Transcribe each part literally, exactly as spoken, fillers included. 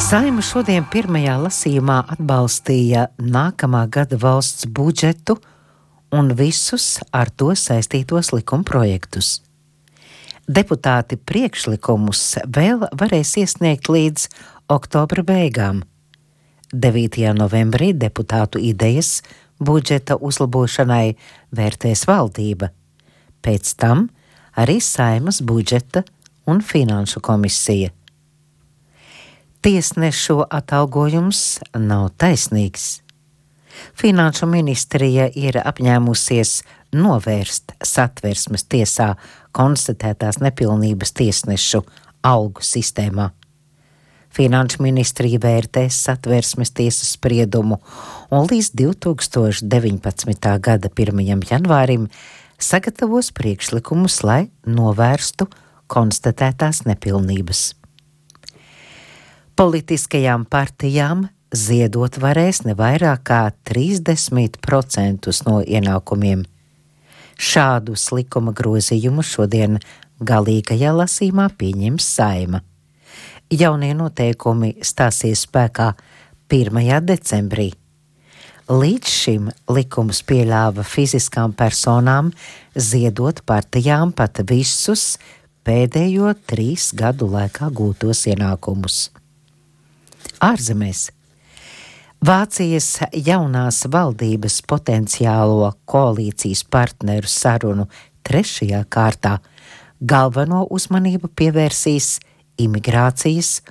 Saeima šodien pirmajā lasījumā atbalstīja nākamā gada valsts budžetu un visus ar to saistītos likumprojektus. Deputāti priekšlikumus vēl varēs iesniegt līdz oktobra beigām. devītajā novembrī deputātu idejas budžeta uzlabošanai vērtēs valdība, pēc tam arī Saeimas budžeta un finanšu komisija. Tiesnešu atalgojums nav taisnīgs. Finanšu ministrija ir apņēmusies novērst Satversmes tiesā konstatētās nepilnības tiesnešu algu sistēmā. Finanšu ministrija vērtēs Satversmes tiesas spriedumu un līdz divi tūkstoši deviņpadsmitā gada pirmajam janvārim sagatavos priekšlikumus, lai novērstu konstatētās nepilnības. Politiskajām partijām ziedot varēs ne vairāk kā trīsdesmit procentus no ienākumiem. Šādus likuma grozījumus šodien galīgajā lasījumā pieņems Saeima. Jaunie noteikumi stāsies spēkā pirmajā decembrī. Līdz šim likums pieļāva fiziskām personām ziedot partijām pat visus pēdējo trīs gadu laikā gūtos ienākumus. Ārzemēs Vācijas jaunās valdības potenciālo koalīcijas partneru sarunu trešajā kārtā galveno uzmanību pievērsīs imigrācijas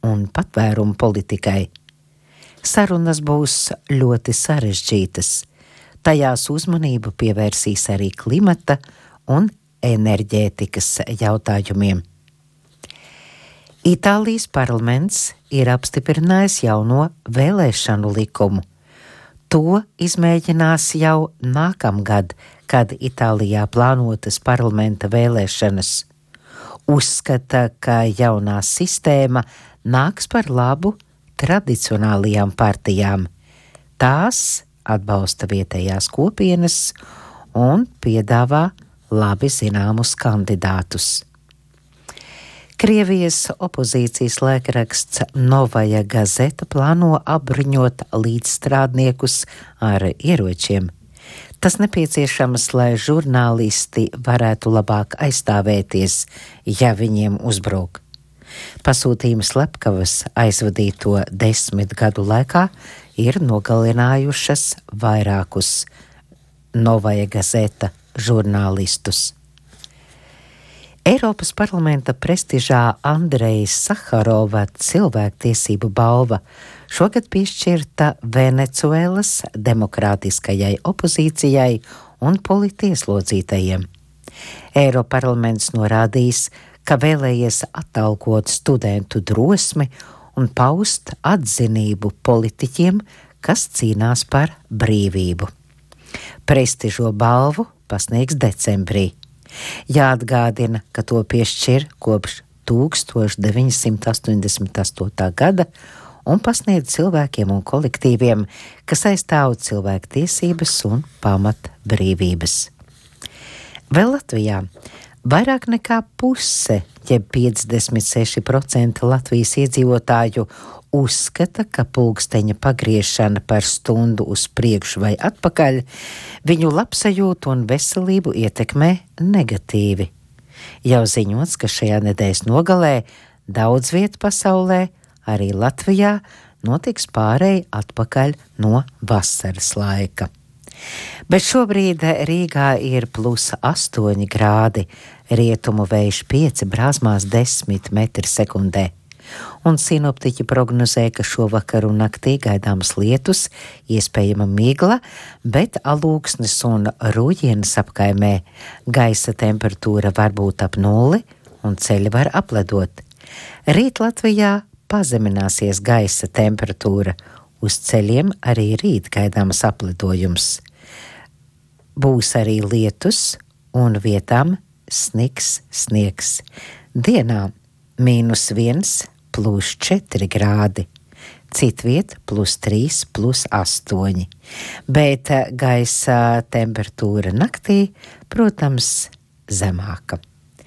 un patvērumu politikai. Sarunas būs ļoti sarežģītas. Tajās uzmanību pievērsīs arī klimata un enerģētikas jautājumiem. Itālijas parlaments ir apstiprinājis jauno vēlēšanu likumu. To izmēģinās jau nākamgad, kad Itālijā plānotas parlamenta vēlēšanas. Uzskata, ka jaunā sistēma nāks par labu tradicionālajām partijām. Tās atbalsta vietējās kopienas un piedāvā labi zināmus kandidātus. Krievijas opozīcijas laikraksts Novaja Gazeta plāno apbruņot līdzstrādniekus ar ieročiem. Tas nepieciešams, lai žurnālisti varētu labāk aizstāvēties, ja viņiem uzbruk. Pasūtījuma slepkavas aizvadīto desmit gadu laikā ir nogalinājušas vairākus Novaja Gazeta žurnālistus. Eiropas parlamenta prestižā Andrejas Saharova cilvēktiesību balva šogad piešķirta Venecuēlas demokrātiskajai opozīcijai un politieslodzītajiem. Eiroparlaments norādījis, ka vēlējies atalgot studentu drosmi un paust atzinību politiķiem, kas cīnās par brīvību. Prestižo balvu pasniegs decembrī. Jāatgādina, ka to piešķir kopš tūkstoš deviņsimt astoņdesmit astotā gada un pasniedz cilvēkiem un kolektīviem, kas aizstāv cilvēku tiesības un pamat brīvības. Vēl Latvijā vairāk nekā puse, jeb piecdesmit seši procenti Latvijas iedzīvotāju uzskata, ka pulksteņa pagriešana par stundu uz priekšu vai atpakaļ viņu labsajūtu un veselību ietekmē negatīvi. Jau ziņots, ka šajā nedēļas nogalē daudz vietu pasaulē, arī Latvijā, notiks pārēj atpakaļ no vasaras laika. Bet šobrīd Rīgā ir plus astoņi grādi, rietumu vējš pieci, brāzmās desmit metri sekundē. Un sinoptiķi prognozē, ka šovakar un naktī gaidāmas lietus, iespējama migla, bet Alūksnes un Rūjienas apkaimē gaisa temperatūra var būt ap nulli un ceļi var apledot. Rīt Latvijā pazemināsies gaisa temperatūra, uz ceļiem arī rīt gaidāmas apledojums. Būs arī lietus un vietām sniks, sniegs. Dienā mīnus viens, plus četri grādi, citviet plus trīs, plus astoņi, bet gaisa temperatūra naktī, protams, zemāka.